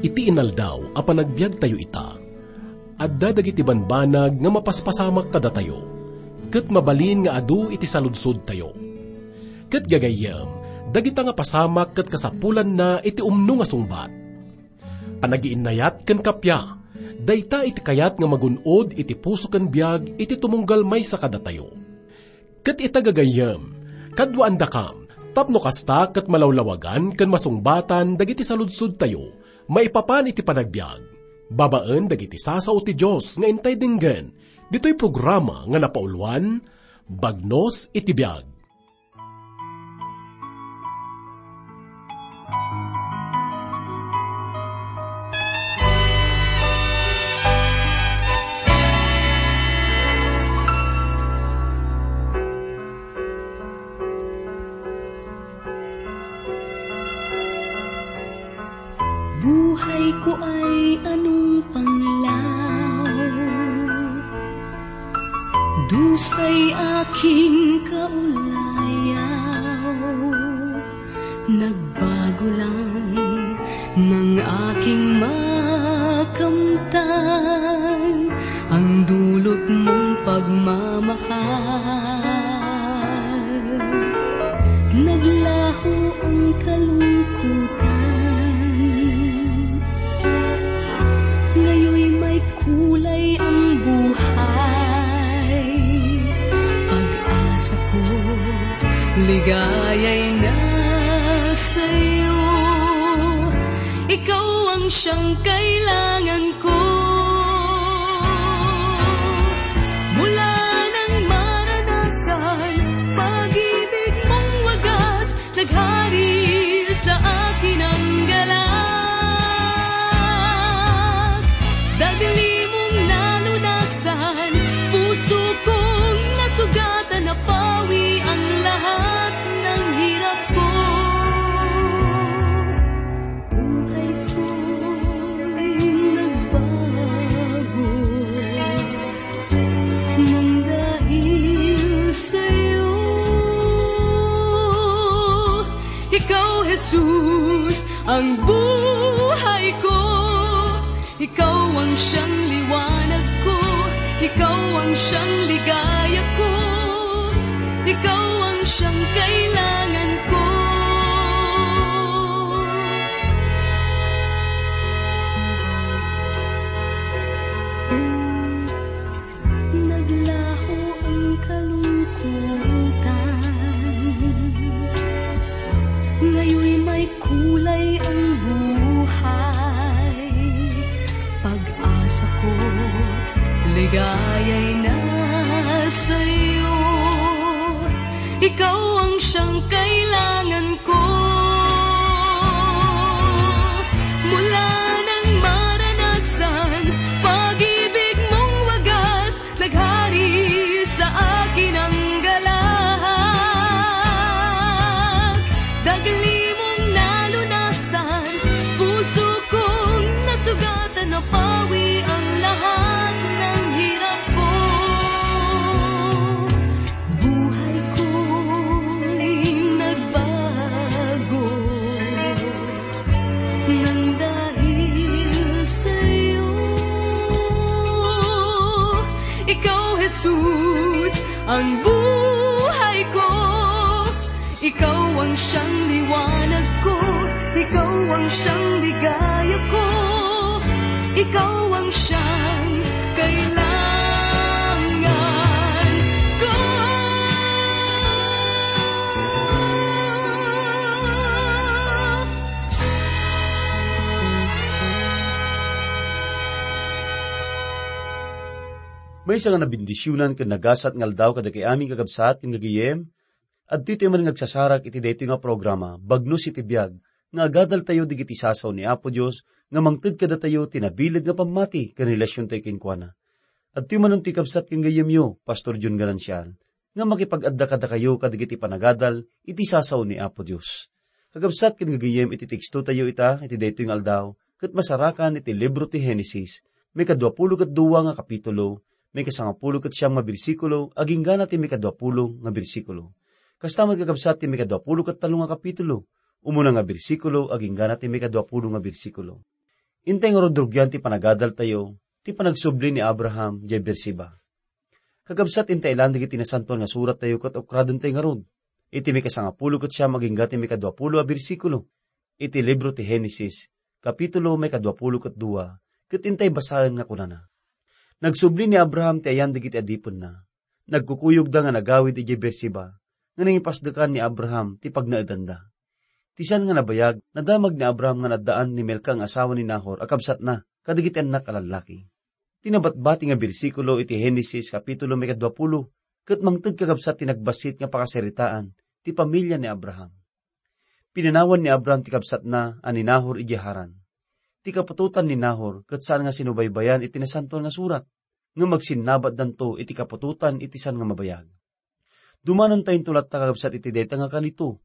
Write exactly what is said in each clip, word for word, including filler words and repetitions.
Iti inaldaw a panagbiagtayo ita, adda dagiti banbanag nga mapaspasamak kadatayo, ket mabalin nga adu iti saludsodtayo. Ket gagayyem, dagita nga pasamak ket kasapulanna iti umno nga sungbat. Panagiinnayat ken kappia, dayta iti kayat nga magun-od iti puso ken biag iti tumunggal maysa kadatayo. Ket ita gagayyem, kaduaandakam, tapno kasta ket malawlawagan ken masungbatan dagiti saludsodtayo maipapan iti panagbiag, babaen dagiti sasao ti Dios nga intay denggen ditoy programa nga napauluan, Bagnos iti Biag. Buhay ko ay anong panglaw, dusay aking kaulayaw. Nagbago lang ng aking makamtan ang dulot mong pagmamahal. Naglaho ang kalungkutan, ngayoy may kulay ang buhay. Pag-asa ko, ligaya'y nasa iyo. Ikaw ang siyang kailangan ko. Mula nang maranasan pag-ibig mong wagas, naghari sa akin ang galak. Dagli mong nalunasan, puso kong nasugatan, napawi ang lahat ng hirap ko. Buhay ko'y nagbago nang dahil sa'yo. Ikaw, Jesus, ang buhay ko. Ikaw ang siyang liwanag ko. Ikaw ang siyang ligaya ko. Ikaw ang siyang kailangan ko. Naglaho ang kalungkutan. Ngayoy may kulay ang buhay. Pag-asa ko't ligaya'y nasa iyo. Ikaw ang siyang kailangan ko. Mula nang maranasan pag-ibig mong wagas, naghari sa akin ang galak. Dagli mong nalunasan, puso kong nasugatan, napawi ang lahat ng hirap ko. Buhay ko'y nagbago nang dahil sa'yo. Ikaw, Jesus, ang buhay ko. Ikaw ang siyang liwanag ko. Ikaw ang siyang ligaya ko. Ikaw ang siyang kailangan ko. Maysa nga nabendisionan ken nagasat nga aldaw kadagiti amin, kakabsat ken gagayem. Adtoy tayo man nga agsasarak iti daytoy nga programa, Bagnos iti Biag, nga agadaltayo dagiti sasao ni Apo Dios nga mangted kadatayo ti nabileg nga pammati ken relasiontayo kenkuana. Adtoy manen ti kabsat ken gayyemyo, Pastor John Ganancial, nga makipag-adda kadakayo kadagiti panagadal iti sasao ni Apo Dios. Kakabsat ken gagayyem, iti tekstotayo ita iti daytoy nga aldaw, ket masarakan iti libro ti Genesis, maikadua pulo ket dua nga kapitulo, maikasangapulo ket siam nga bersikulo, agingga na ti maikadua pulo nga bersikulo. Kasta met, kakabsat, ti maikadua pulo ket tallo nga kapitulo, umuna nga bersikulo, agingga na ti maikadua pulo nga bersikulo. Intay ngarud rugian ti panagadaltayo, ti panagsubli ni Abraham diay Beersheba. Kakabsat, intay ilan dagiti Nasantoan nga Surattayo ket ukradentayo ngarud. Iti maikasangapulo ket siam agingga ti maikaduapulo a bersikulo iti libro ti Genesis, kapitulo maikaduapulo ket dua, ket intay basaen nga kunana, "Nagsubli ni Abraham ti ayan dagiti adipenna. Nagkukuyogda nga nagawid idiay Beersheba, nga nangipasdekan ni Abraham ti pagnaedanda." Ti sian nga nabayag, nadamag ni Abraham nga naddaan ni Milca nga asawa ni Nahor a kabsatna kadagiti annak a lallaki. Ti nabatbati nga bersikulo iti Genesis kapitulo maikaduapulo ket mangted kakabsat ti nagbassit nga pakasaritaan ti pamilia ni Abraham. Pinanawan ni Abraham ti kabsatna a ni Nahor idiay Haran. Ti kaputotan ni Nahor ket saan nga sinubaybayan iti Nasantoan nga Surat, ngem agsinnabatdanto iti kaputotan iti saan nga mabayag. Dumanontayo latta, kakabsat, iti dayta nga kanito.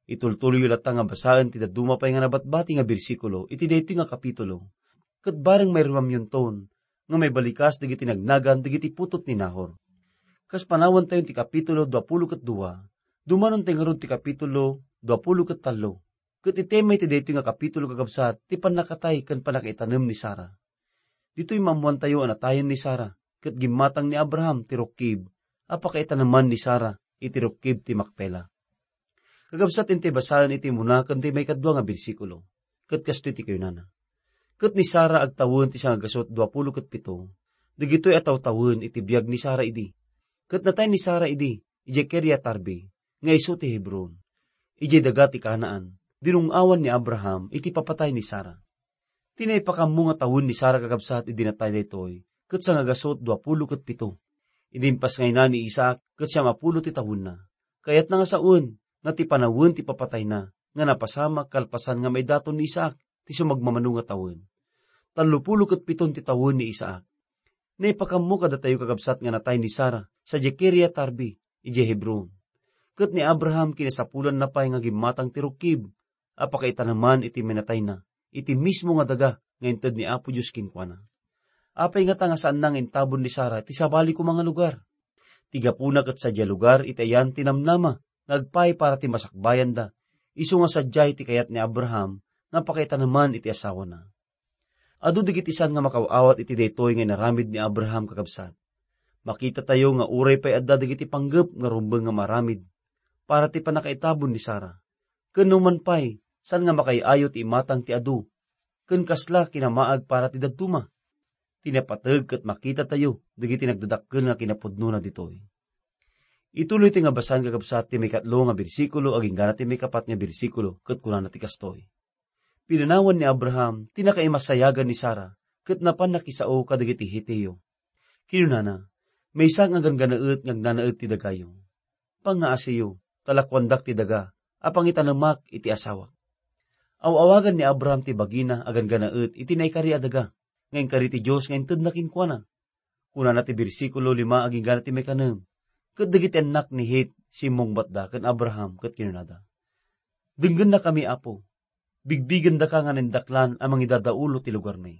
Itultuloyyo latta nga basaen ti dadduma pay nga nabatbati nga bersikulo iti daytoy nga kapitulo. Ket bareng mairuamyonton nga maibalikas dagiti nagnagan dagiti putot ni Nahor. Kas panawantayon ti kapitulo duapulo ket dua, dumanontayo ngarud ti kapitulo duapulo ket tallo. Ket itemay ti daytoy nga kapitulo, kakabsat, ti pannakatay ken pannakaitanem ni Sara. Ditoy maammoantayo a natayen ni Sara, ket gimmatang ni Abraham ti rukkib a pakaitaneman ni Sara iti rukkib ti Makpela. Kakabsat, intay basaen iti umuna ken ti maikadua nga bersikulo, ket kastoy ti kunana, "Ket ni Sara agtawen ti sangagasut duapulo ket pito, dagitoy a tawtawen iti biag ni Sara idi. Ket natay ni Sara idi, idiay Kiriat-arbi, nga isu ti Hebron. Idiay daga ti Canaan, dinung-awan ni Abraham iti papatay ni Sara." Ti naipakammo nga tawen ni Sara, kakabsat, idi natay daytoy, ket sangagasut duapulo ket pito. Idi impasngayna ni Isaac, ket siam a pulo ti tawenna. Kayatna nga sawen nga ti panawen ti papatayna nga napasamak kalpasan nga maidaton ni Isaac ti sumagmamano nga tawen. Tallo pulo ket piton ti tawen ni Isaac. Naipakammo kadatayo, kakabsat, nga natay ni Sara sadiay Kiriat-arbi, idiay Hebron. Ket ni Abraham, kinasapulanna pay nga gimmatang ti rukkib a pakaitaneman iti minatayna, iti mismo nga daga nga inted ni Apo Dios kenkuana. Apay ngata nga saanna nga intabon ni Sara ti sabali koma nga lugar? Ti gapuna ket sadiay lugar iti ayan ti namnama nga agpaay para ti masakbayanda, isu nga sadiay ti kayat ni Abraham nga pakaitaneman iti asawana. Adu dagiti saan nga makaw-awat iti daytoy nga inaramid ni Abraham, kakabsat. Makitatayo nga uray pay adda dagiti panggep nga rumbeng nga maaramid para ti pannakaitabon ni Sara. Ken numan pay, saan nga makaay-ayo ti imatang ti adu, ken kasla kinamaag para ti dadduma. Ti napateg ket makitatayo dagiti nagdadakkel nga kinapudnona ditoy. Ituloy ti nga basan, kakabsat, ti maikatlo nga bersikulo agingga ti maikapat nga bersikulo, ket kunana ti kastoy, "Pinanawan ni Abraham ti nakaimasayagan ni Sara ket napan nakisao kadagiti Hetio. Kinunana, 'Maysa nga ganggannaet nga agnanaed ti dagayo. Pangngaasiyo, ta lakuandak ti daga a pangitanemak iti asawak.'" Aw-awagan ni Abraham ti bagina a ganggannaet iti naikari a daga nga inkari ti Dios nga intedna kenkuana. Kunana ti bersikulo lima agingga ti maikanem, "Ket dagiti annak ni Het simmungbatda ken Abraham ket kinunada, 'Denggennakami, Apo. Bigbigendaka nga naindaklan a mangidadaulo ti lugarmi.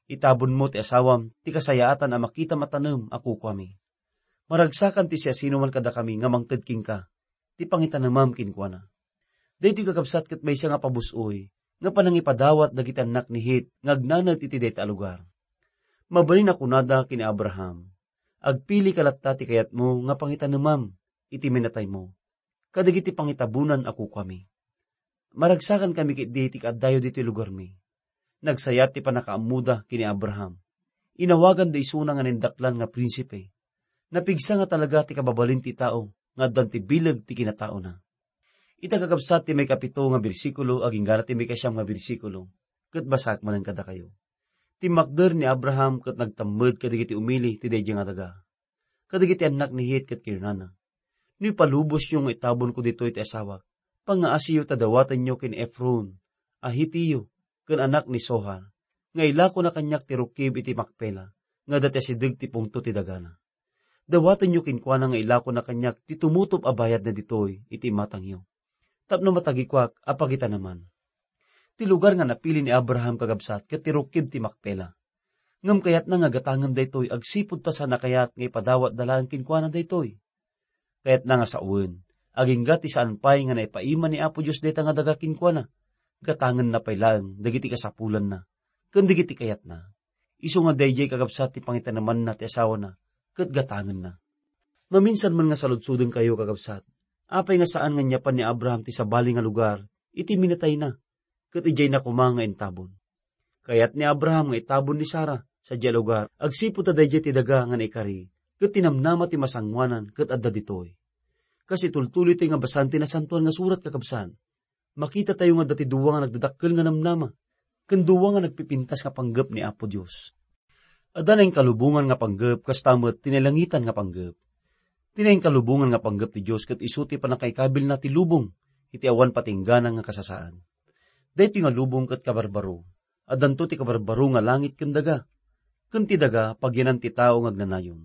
Itabonmo ti asawam ti kasayaatan a makitam a tanem a kukuami. Maragsakan ti siasinoman kadakami nga mangted kenka ti pangitanemam kenkuana.'" Daytoy, kakabsat, ket maysa nga pabus-oy nga panangipadawat dagiti annak ni Het nga agnanaed iti dayta a lugar. Mabalin a kunada ken ni Abraham, "Agpilika latta ti kayatmo nga pangitanemam iti minataymo kadagiti pangitabonan a kukuami. Maragsakankami ketdi ti kaaddayo ditoy lugarmi. Nagsayat ti pannakaammoda ken ni Abraham. Inawaganda isuna nga naindaklan nga prinsipe. Napigsa nga talaga ti kababalin ti tao nga addan ti bileg ti kinataona." Ita, kakabsat, ti maikapito nga bersikulo agingga ti maikasiam nga bersikulo, ket basaek manen kadakayo. Timmakder ni Abraham ket nagtammed kadagiti umili ti daydiay nga daga. Kadagiti annak ni Het ket kinunana, "No ipalubosyo nga itabonko ditoy ti asawak, pangngaasiyo ta dawatenyo ken Efron a Hetio ken anak ni Zohar nga ilakona kaniak ti rukkib iti Makpela nga adda ti asideg ti pungto ti dagana. Dawatenyo kenkuana nga ilakona kaniak ti tumutop a bayadna ditoy iti imatangyo, tapno matagikuak a pagitaneman." Ti lugar nga napili ni Abraham, kakabsat, ket ti rukkib ti Makpela. Ngem kayatna nga gatangen daytoy agsipud ta saanna kayat nga ipadawatda laeng kenkuana daytoy. Kayatna nga sawen, agingga ti saan pay nga naipaima ni Apo Dios dayta nga daga kenkuana, gatangenna pay laeng dagiti kasapulanna, ken dagiti kayatna. Isu nga daydiay, kakabsat, ti pangitanemanna ti asawana ket gatangenna. Maminsan man nga saludsodenkayo, kakabsat, apay nga saan nga inyapan ni Abraham ti sabali nga lugar iti minatayna, ket idiayna koma nga intabon? Kayat ni Abraham nga itabon ni Sara sadiay a lugar agsipud ta daydiay ti daga nga naikari, ket tinamnama ti masangoanan ket adda ditoy. Kas itultuloy tayo nga basaen ti Nasantoan nga Surat, kakabsat, makitatayo nga adda ti dua nga nagdadakkel nga namnama, ken dua nga nagpipintas nga panggep ni Apo Dios. Adda nainkalubongan nga panggep, kasta met ti nailangitan nga panggep. Ti nainkalubongan nga panggep ti Dios ket isu ti pannakaikabilna ti lubong iti awan patinggana nga kasasaan. Daytoy nga lubong ket kabarbaro. Addanto ti kabarbaro nga langit ken daga. Ken ti daga, pagyanan ti tao nga agnanayon.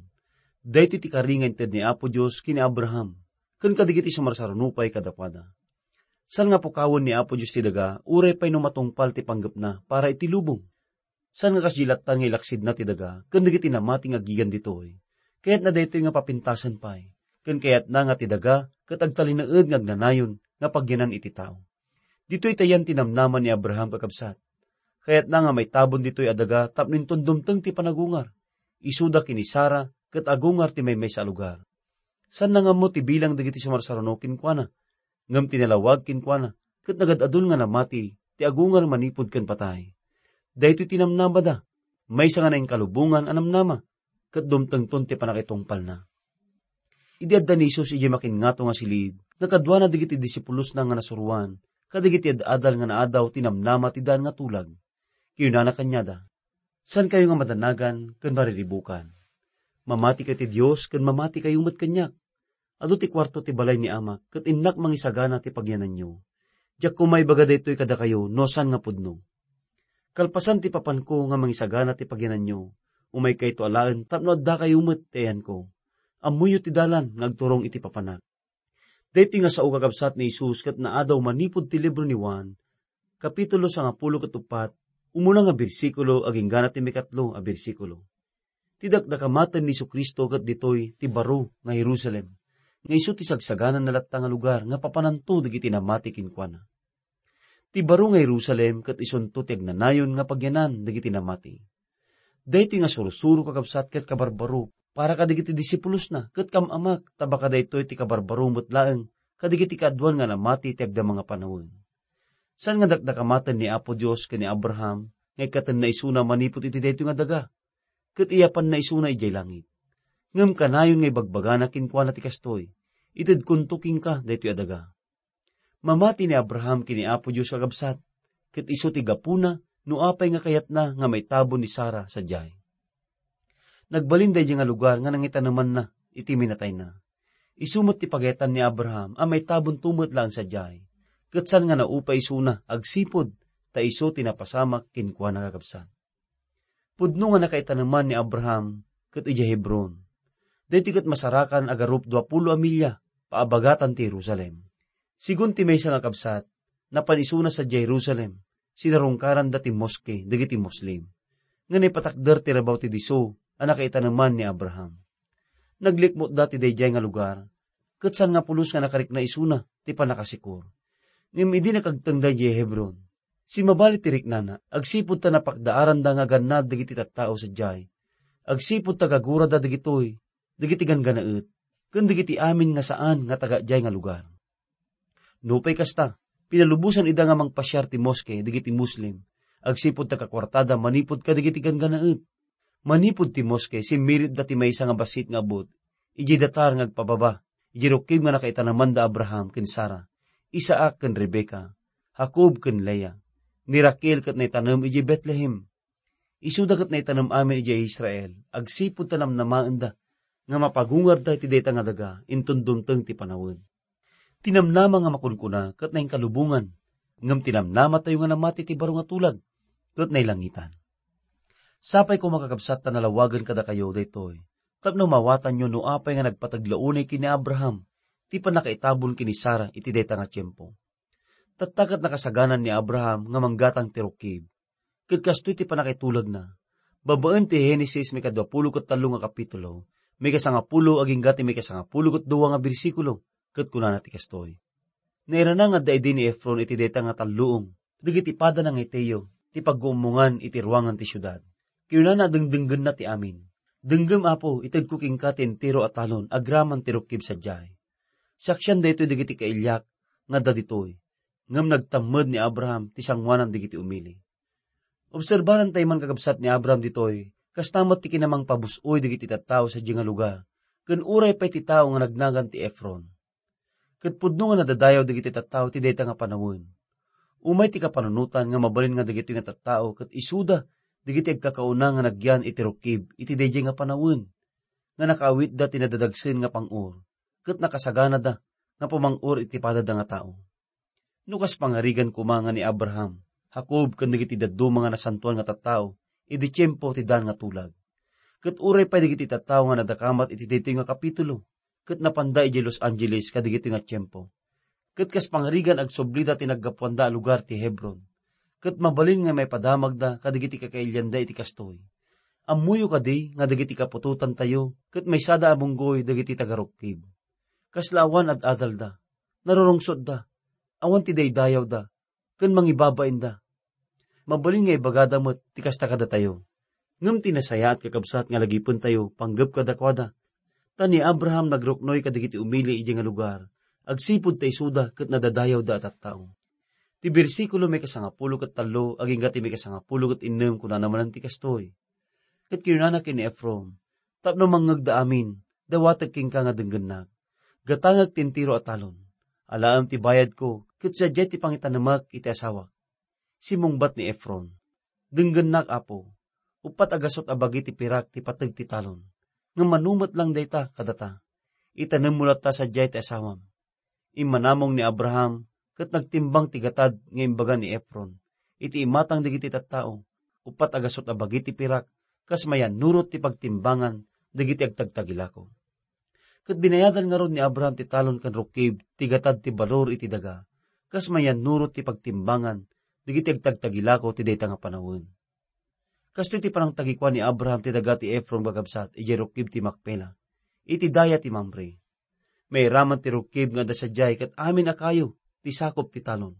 Daytoy ti kari nga inted ni Apo Dios ken ni Abraham, ken kadagiti sumarsaruno pay kadakuada. Saan nga pukawen ni Apo Dios ti daga, uray pay no matungpal ti panggepna para iti lubong. Saan nga kasdi latta nga ilaksidna ti daga ken dagiti namati nga agigan ditoy. Kayatna daytoy nga papintasen pay, ken kayatna nga ti daga ket agtalinaed nga agnanayon nga pagyanan iti tao. Ditoy ti ayan ti namnama ni Abraham, kakabsat. Kayatna nga maitabon ditoy a daga tapno inton dumteng ti panagungar, isuda ken ni Sara ket agungar ti maymaysa a lugar. Saanna nga ammo ti bilang dagiti sumarsaruno kenkuana, ngem ti nalawag kenkuana ket nagad-adun nga namati ti agungar manipud ken patay. Daytoy ti namnamada, maysa nga nainkalubongan a namnama, ket dumtengton ti pannakaitungpalna. Idi adda ni Jesus idiay makinngato nga silid, nakaduana dagiti disipulosna nga nasuroan kadagiti ad-adal nga naadaw ti namnama ti daan nga tulag. Kinunana kaniada, "Saankayo nga madanagan ken mariribukan. Mamatikayo ti Dios ken mamatikayo met kaniak. Adu ti kuarto ti balay ni Amak, ket innak mangisagana ti pagyananyo. Diak koma ibaga daytoy kadakayo no saan nga pudno. Kalpasan ti papanko nga mangisagana ti pagyananyo, umaykayto alaen tapno addakayo met ti ayanko. Ammoyo ti dalan nga agturong iti papanak." Daytoy nga sao, kakabsat, ni Jesus ket naadaw manipud ti libro ni Juan, kapitulo sangapulo ket uppat, umuna nga bersikulo agingga ti mikatlo a bersikulo. Ti dakdakamaten ni Jesu-Cristo ket ditoy ti baro nga Jerusalem, nga isu ti sagsagananna latta nga lugar nga papananto dagiti namati kenkuana. Ti baro nga Jerusalem ket isunto ti agnanayon nga pagyanan dagiti namati. Daytoy nga sursuro, kakabsat, ket kabarbaro para kadagiti disipulosna ket kam-amak, ta baka daytoy ti kabarbaro met laeng kadagiti kaaduan nga namati ti agdama nga panawen. Saan nga dakdakamaten ni Apo Dios ken ni Abraham nga ikkatenna isuna manipud iti daytoy nga daga, ket iyapanna isuna idiay langit. Ngem kanayon nga ibagbagana kenkuana ti kastoy, "Itedkonto kenka daytoy a daga." Mamati ni Abraham ken ni Apo Dios, kakabsat, ket isu ti gapuna no apay nga kayatna nga maitabon ni Sara sadiay. Nagbalin daydiay nga lugar nga nangitanemanna iti minatayna. Isu met ti pagayatan ni Abraham a maitabonto met laeng sadiay, ket saan nga naupay isuna agsipud ta isu ti napasamak kenkuana, kakabsat. Pudno nga nakaitaneman ni Abraham ket idiay Hebron. Daytoy ket masarakan a garup duapulo a milya paabagatan ti Jerusalem. Sigun ti maysa nga kabsat, napan isuna sadiay Jerusalem, sinarungkaranda ti moske dagiti Muslim, nga naipatakder ti rabaw ti disso a nakaitaneman ni Abraham. Naglikmutda ti daydiay nga lugar, ket saan nga pulos nga nakarikna isuna ti pannakasikor. Ngem idi nakagtengda idiay Hebron, simmabali ti riknana, agsipud ta napakdaaranda nga agannad dagiti tattao sadiay, agsipud ta gagurada dagitoy dagiti ganggannaet ken dagiti amin nga saan nga taga diay nga lugar. Nupay kasta, pinalubosan ida nga mangpasiar ti moske dagiti Muslim, agsipud ta kakuartada manipud kadagiti ganggannaet. Manipud ti moske, simmiritda ti maysa nga bassit nga abut idiay datar nga agpababa idiay rukkib nga nakaitaneman da Abraham ken Sara, Isaac ken Rebecca, Jacob ken Lea, ni Raquel ket naitanem idiay Betlehem. Isuda ket naitanem amin idiay Israel, agsipud ta namnamaenda nga mapagungarda iti dayta nga daga inton dumteng ti panawen. Ti namnama nga makunkuna ket nainkalubongan, ngem ti namnamatayo nga namati ti baro nga tulag ket nailangitan. Sapay koma, kakabsat, ta nalawagen kadakayo daytoy tapno maawatanyo no apay nga nagpateg la unay ken ni Abraham ti pannakaitabon ken ni Sara iti dayta nga tiempo. Tatta ket nakasaganan ni Abraham nga manggatang ti rukkib. Ket kastoy ti pannakaitulagna. Babaen ti Genesis, maikadua pulo ket tallo nga kapitulo, maikasangapulo agingga ti maikasangapulo ket dua nga bersikulo, ket kunana ti kastoy: Nairana nga adda idi ni Efron iti dayta nga talluong dagiti padana nga Heteo, ti pagguummongan iti ruangan ti siudad. Kinunana a dengdenggenna ti amin, "Denggem, Apo, itedko kenka ti entero a talon agraman ti rukkib sadiay." Saksian daytoy dagiti kailiak nga adda ditoy, ngem nagtammed ni Abraham ti sanguanan dagiti umili. Obserbarantayo man, kakabsat, ni Abraham ditoy, kasta met ti kinamangpabus-oy dagiti tattao sadiay nga lugar, ken uray pay ti tao nga nagnagan ti Efron. Ket pudno nga nadadayaw dagiti tattao ti dayta nga panawen. Umay ti kapanunotan nga mabalin nga dagitoy nga tattao ket isuda dagiti agkakauna nga nagyan iti rukkib iti daydiay nga panawen, nga nakaawitda ti nadadagsen nga pang-or, ket nakasaganada nga pumang-or iti padada nga tao. No kas pangarigan koma nga ni Abraham, Jacob, ken dagiti dadduma nga nasantoan nga tattao idi tiempo ti dan nga tulag. Ket uray pay dagiti tattao nga nadakamat iti daytoy nga kapitulo, ket napanda idiay Los Angeles kadagitoy nga tiempo. Ket kas pangarigan, agsublida ti naggapuanda a lugar ti Hebron. Ket mabalin nga maipadamagda kadagiti kakailianda iti kastoy. Ammoyo kadi nga dagiti kaputotantayo ket maysada a bunggoy dagiti tagarukkib. Kasla awan ad-adalda, narurungsotda, awan ti daydayawda, ken mangibabainda. Mabalin nga ibagada met ti kasta kadatayo. Ngem ti nasayaat, kakabsat, nga lagipentayo panggep kadakuada. Ta ni Abraham nagruknoy kadagiti umili idiay nga lugar, agsipud ta isuda ket nadadayawda a tattao. Ti bersikulo maikasangapulo ket tallo agingga ti maikasangapulo ket innem kunana manen ti kastoy, ket kinunana ken ni Efron, "Tapno mangngegda amin, dawatek kenka nga denggennak. Gatangek ti entero a talon. Alaem ti bayadko, ket sadiay ti pangitanemak iti asawak." Simmungbat ni Efron, "Denggennak, Apo. Uppat a gasut a bagi ti pirak ti pateg ti talon. Ngem mano met lang dayta kadata. Itanemmo latta sadiay ti asawam." Immanamong ni Abraham ket nagtimbang ti gatad nga imbaga ni Efron iti imatang dagiti tattao, uppat a gasut a bagi ti pirak, kas mayannurot ti pagtimbangan dagiti agtagtagilako. Ket binayadan ngarud ni Abraham ti talon ken rukkib ti gatad ti balor iti daga, kas mayannurot ti pagtimbangan dagiti agtagtagilako ti dayta nga panawen. Kastoy ti panangtagikua ni Abraham ti daga ti Efron, kakabsat, idiay rukkib ti Makpela, iti daya ti Mamre. Mairaman ti rukkib nga adda sadiay ket amin a kayo ti sakop ti talon.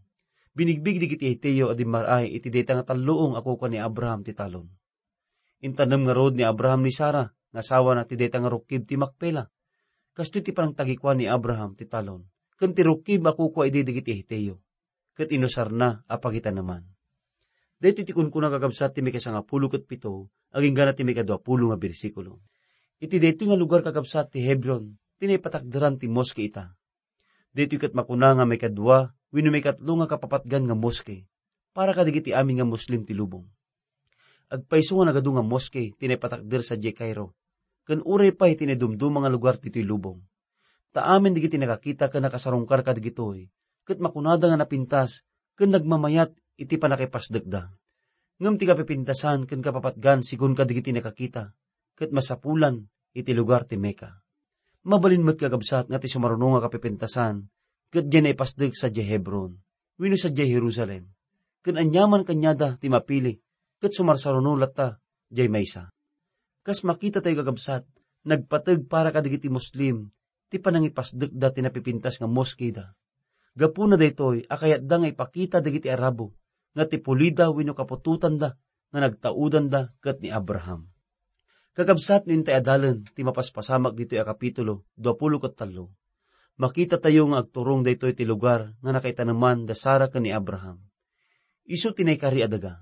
Binigbig dagiti Heteo a dimmar-ay iti dayta nga talluong a kukua ni Abraham ti talon. Intanem ngarud ni Abraham ni Sara nga asawana ti dayta nga rukkib ti Makpela. Kastoy ti panangtagikua ni Abraham ti talon ken ti rukkib a kukua idi dagiti Heteo, ket inusarna a pagitaneman. Daytoy ti kunkuna, kakabsat, ti maikasangapulo ket pito, agingga ti maikaduapulo nga bersikulo. Iti daytoy nga lugar, kakabsat, ti Hebron, ti naipatakderan ti moske ita. Daytoy ket makuna nga maikadua wenno maikatlo nga kapapatgan nga moske para kadagiti amin nga Muslim ti lubong. Agpayso nga nagadu nga moske ti naipatakder sadiay Cairo, ken uray pay ti naidumduma nga lugar ditoy lubong. Ta amin dagiti nakakita ken nakasarungkar kadagitoy, ket makunada nga napintas ken nagmamayat iti pannakipasdekda. Ngem ti kapipintasan ken kapapatgan, sigun kadagiti nakakita, ket masapulan iti lugar ti Mecca. Mabalin met, kakabsat, nga ti sumaruno nga kapipintasan ket diay naipasdek sadiay Hebron wenno sadiay Jerusalem, ken aniaman kaniada ti mapili ket sumarsaruno latta diay maysa. Kas makitatayo, kakabsat, nagpateg para kadagiti Muslim ti panangipasdekda ti napipintas nga moskeda. Gapuna daytoy a kayatda nga ipakita dagiti Arabo nga ti pulida wenno kaputotanda nga nagtaudanda ket ni Abraham. Kakabsat, no intay adalen ti mapaspasamak ditoy a kapitulo duapulo ket tallo, makitatayo nga agturong daytoy ti lugar nga nakaitaneman da Sara ken ni Abraham. Isu ti naikari a daga.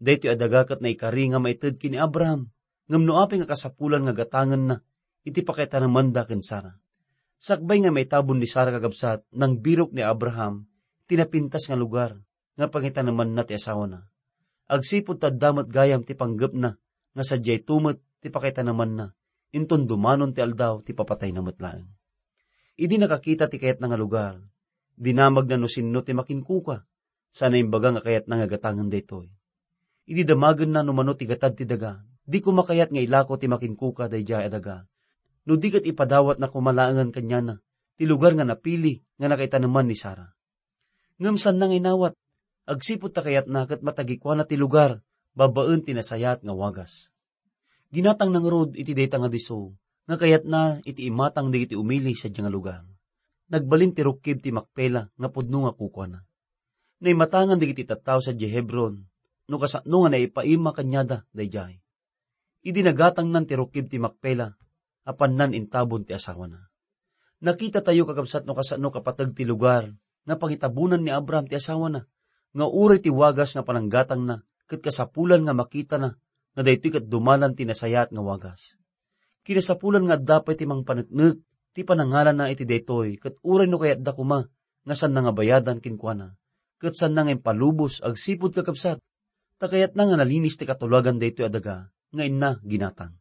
Daytoy a daga ket naikari nga maited ken ni Abraham, ngem no apay nga kasapulan nga gatangenna iti pakaitanamanda ken Sara. Sakbay nga maitabon ni Sara, kakabsat, nangbirok ni Abraham ti napintas nga lugar nga pangitanemanna ti asawana. Agsipud ta adda met gayam ti panggepna nga sadiay met ti pakaitanemanna, inton dumanon ti aldaw ti papatayna met laeng. Idi nakakita ti kayatna nga lugar, dinamagna no sinno ti makinkuka, sana imbaga nga kayatna nga gatangen daytoy. Idi damagenna no mano ti gatad ti daga, di koma kayat nga ilako ti makinkuka daydiay a daga, no di ket ipadawatna koma laengen kaniana ti lugar nga napili nga nakaitaneman ni Sara. Ngem saanna nga inawat, agsipud ta kayatna ket matagikuana ti lugar babaen ti nasayaat nga wagas. Ginatangna ngarud iti dayta nga disso nga kayatna iti imatang dagiti umili sadiay nga lugar. Nagbalin ti rukkib ti Makpela nga pudno nga kukuana. Naimatangan dagiti tattao sadiay Hebron, no kasano nga naipaima kaniada daydiay. Idi nagatangnan ti rukib ti Macpela, apannan intabon ti asawana. Nakitatayo, kakabsat, no kasano kapateg ti lugar nga pangitabonan ni Abraham ti asawana, nga uray ti wagas nga pananggatangna ket kasapulan nga makitana nga daytoy ket dumalan ti nasayaat nga wagas. Kinasapulan nga adda pay ti mangpaneknek ti panangalana iti daytoy, ket uray no kayatda koma nga saanna nga bayadan kenkuana, ket saanna nga impalubos agsipud, kakabsat, ta kayatna nga nalinis ti katulagan daytoy a daga nga inna ginatang.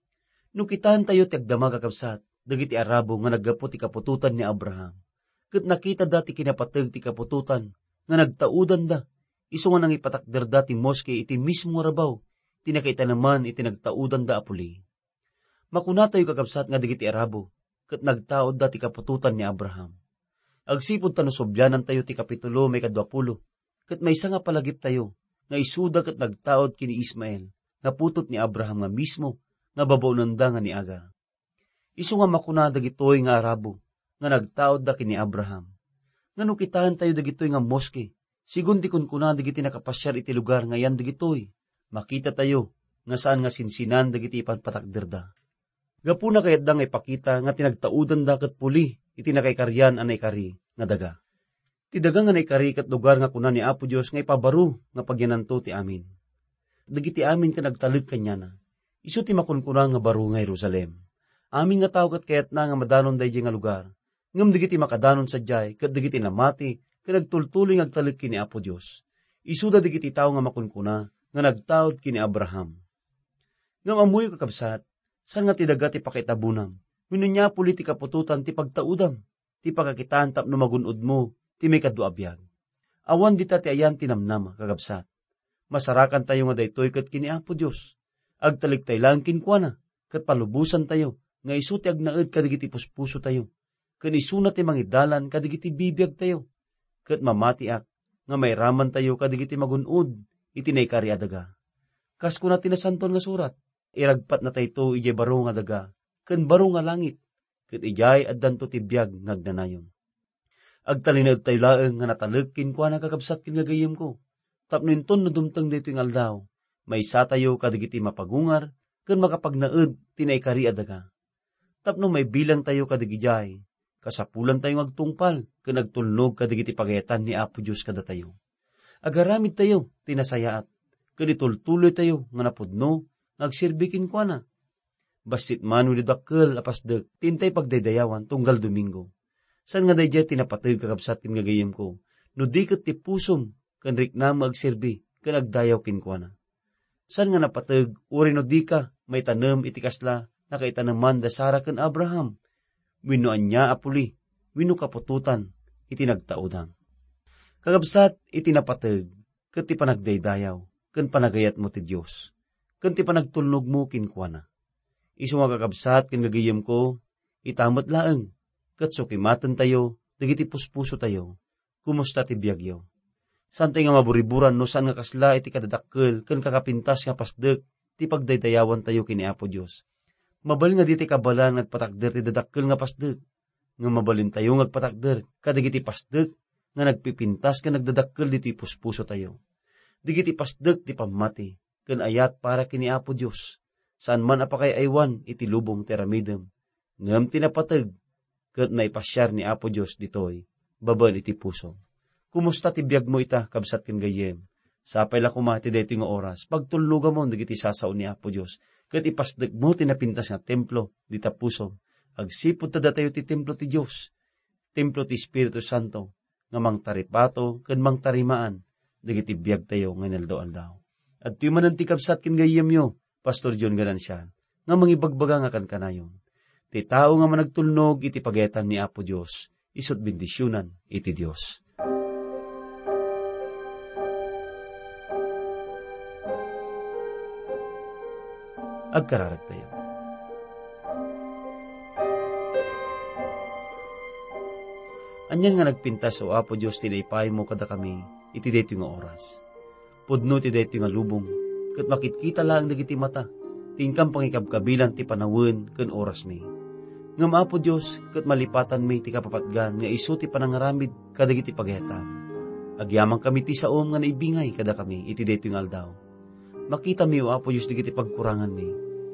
No kitaentayo ti agdama, kakabsat, dagiti Arabo nga naggapu ti kaputotan ni Abraham, ket nakitada ti kinapateg ti kaputotan nga nagtaudanda, isu nga nangipatakderda ti moske iti mismo nga rabaw ti nakaitaneman iti nagtaudanda a puli. Makunatayo, kakabsat, nga dagiti Arabo ket nagtaudda ti kaputotan ni Abraham. Agsipud ta no sublianantayo ti kapitulo maikadua pulo, ket maysa nga palagiptayo nga isuda ket nagtaud ken ni Ismael nga putut ni Abraham nga mismo nga babaonenda nga ni Agar. Isu nga makuna dagitoy nga Arabo nga nagtaudda ken ni Abraham. Nga no kitaentayo dagitoy nga moske, sigun ti kunkuna dagiti nakapasiar iti lugar nga ayan dagitoy, makitatayo nga saan nga sinsinan dagiti ipanpatakderda. Gapuna kayatda nga ipakita nga ti nagtaudanda ket puli iti nakaikarian a naikari nga daga. Ti daga nga naikari ket lugar nga kuna ni Apo Dios nga ipabaro nga pagyananto ti amin. Dagiti amin ket nagtalek kaniana. Isu ti makunkuna nga baro nga Jerusalem. Amin nga tao ket kayatna nga madanon daydiay nga lugar. Ngem dagiti makadanon sadiay ket dagiti namati ket nagtultuloy nga agtalek ken ni Apo Dios. Isuda dagiti tao nga makunkuna nga nagtaud ken ni Abraham. Ngem ammoyo, kakabsat, saan nga ti daga ti pakaitabonam wenno ania a puli ti kaputotan ti pagtaudam, ti pakakitaan tapno magun-odmo ti maikadua a biag. Awan dita ti ayan ti namnama, kakabsat. Masarakantayo nga daytoy ket ken ni Apo Dios. Agtalektay laeng kenkuana, ket palubosantayo nga isu ti agnaed kadagiti puspusotayo, ken isuna ti mangidalan kadagiti bibiagtayo. Ket mamatiak nga mairamantayo kadagiti magun-od iti naikari a daga. Kas kuna ti Nasantoan nga Surat, iragpatnatayto idiay baro nga daga ken baro nga langit, ket idiay addanto ti biag nga agnanayon. Agtalinaedtayo laeng nga natalek kenkuana, kakabsat ken gagayyemko, tapno inton no dumteng daytoy nga aldaw, maysatayo kadagiti mapagungar ken makapagnaed ti naikari a daga. Tapno maibilangtayo kadagidiay, kasapulantayo nga agtungpal ken agtulnog kadagiti pagayatan ni Apo Dios kadatayo. Agaramidtayo ti nasayaat, ken itultuloytayo nga napudno nga agserbi kenkuana. Bassit man wenno dakkel a pasdek ti intay pagdaydayawan tunggal Domingo. Saan nga daydiay ti napateg, kakabsat ken gagayyemko, no di ket ti pusom ken riknam nga agserbi ken agdayaw kenkuana. Saan nga napateg uray no dika maitanem iti kasla nakaitaneman da Sara ken Abraham, wenno ania a puli, wenno kaputotan iti nagtaudam. Kakabsat, iti napateg ket ti panagdaydayaw ken panagayatmo ti Dios, ken ti panagtulnogmo kenkuana. Isu nga, kakabsat ken gagayyemko, ita met laeng ket sukimatentayo dagiti puspusotayo. Kumusta ti biagyo? Saantayo nga maburiburan no saan nga kasla iti kadadakkel ken kakapintas nga pasdek ti pagdaydayawantayo ken ni Apo Dios. Mabalin nga ditay kabaelan nga agpatakder ti dadakkel nga pasdek, ngem mabalintayo nga agpatakder kadagiti pasdek nga nagpipintas ken nagdadakkel ditoy puspusotayo. Dagiti pasdek ti pammati ken ayat para ken ni Apo Dios. Saan man a pakay-aywan iti lubong ti aramidem, ngem ti napateg ket naipasiar ni Apo Dios ditoy babaen iti puso. Kumusta ti biagmo ita, kabsat ken gayyem? Sapay la koma ti daytoy nga oras, pagtulnogamon dagiti sasao ni Apo Dios, ket ipasdekmo ti napintas nga templo dita pusom. Agsipud ta datayo ti templo ti Dios, templo ti Espiritu Santo, nga mangtaripato ken mangtarimaan dagiti biagtayo nga inaldaw-aldaw. Adtoy manen ti kabsat ken gayyemyo, Pastor John Ganancial, nga mangibagbaga nga kankanayon. Ti tao nga managtulnog iti pagayatan ni Apo Dios, isu't bendisionan iti Dios. Agkararagtayo. Anian nga nagpintas, O Apo Dios, ti naipaymo kadakami iti daytoy nga oras. Pudno ti daytoy nga lubong, ket makitkita laeng dagiti mata ti inkam pangikabkabilan ti panawen ken orasmi. Ngem, Apo Dios, ket malipatanmi ti kapapatgan nga isu ti panangaramid kadagiti pagayatam. Agyamankami ti saom nga naibingay kadakami iti daytoy nga aldaw. Makitami, O Apo Dios, dagiti pagkuranganmi,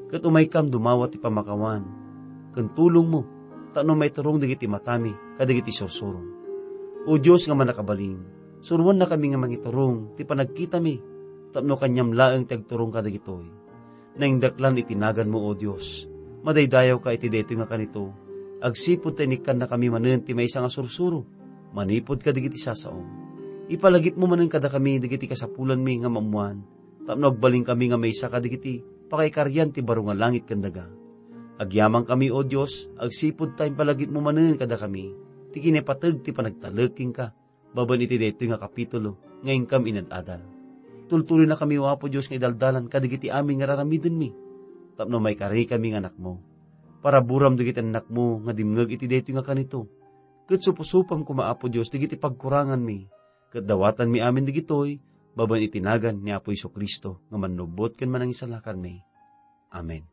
ket umaykam dumawat ti pamakawan ken tulongmo tapno maiturong dagiti matami kadagiti sursuro. O Dios nga mannakabalin, suroannakami nga mangiturong ti panagkitami tapno kaniam laeng ti agturong kadagitoy. Naindaklan iti naganmo, O Dios. Madaydayawka iti daytoy nga kanito. Agsipud ta inikkannakami manen ti maysa nga sursuro manipud kadagiti sasaom. Ipalagipmo manen kadakami dagiti kasapulanmi nga maammoan, tapno agbalinkami nga maysa kadagiti pakaikarian ti baro nga langit ken daga. Agyamankami, O Dios, agsipud ta impalagipmo manen kadakami ti kinapateg ti panagtalek kenka babaen iti daytoy nga kapitulo nga inkam inad-adal. Tultuloynakami, O Apo Dios, nga idaldalan kadagiti amin nga raramidenmi, tapno maikarikami nga anakmo. Paraburam dagiti annakmo nga dimngeg iti daytoy nga kanito, ket supsupam koma, Apo Dios, dagiti pagkuranganmi, ket dawatanmi amin dagitoy babaen iti nagan ni Apo Jesu-Cristo nga Mannubbot ken Manangisalakanmi. Amen.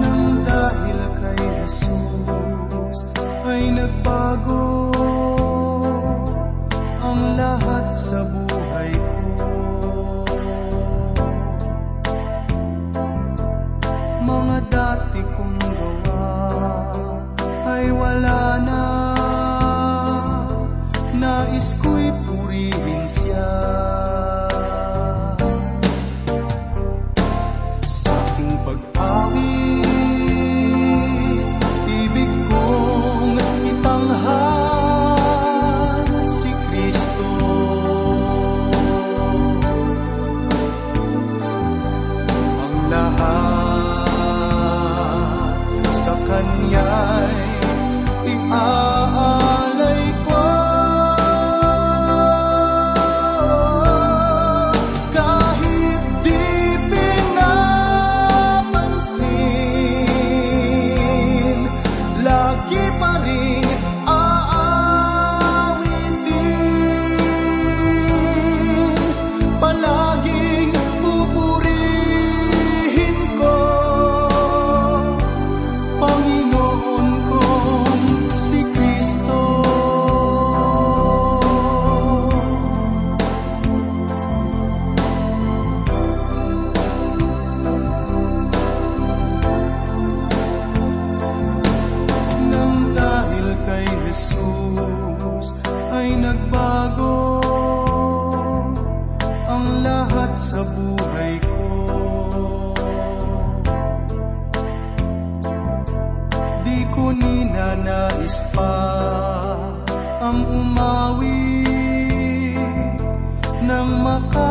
Nang dahil kay Jesus ay nagbago ang lahat sa buhay ko. Mga dati kong gawa ay wala na. Nais ko'y purihin siya. Sa aking pag-awit, ibig kong itanghal si Kristo. Ang lahat sa Kanya'y iaalay ko. Kahit di pinapansin, lagi pa rin aawitin, palaging pupurihin ko, Panginoon kong si Kristo. Nang dahil kay Jesus ay nagbago ang lahat sa buhay ko. Di ko ninanais pa ang umawi nang maka-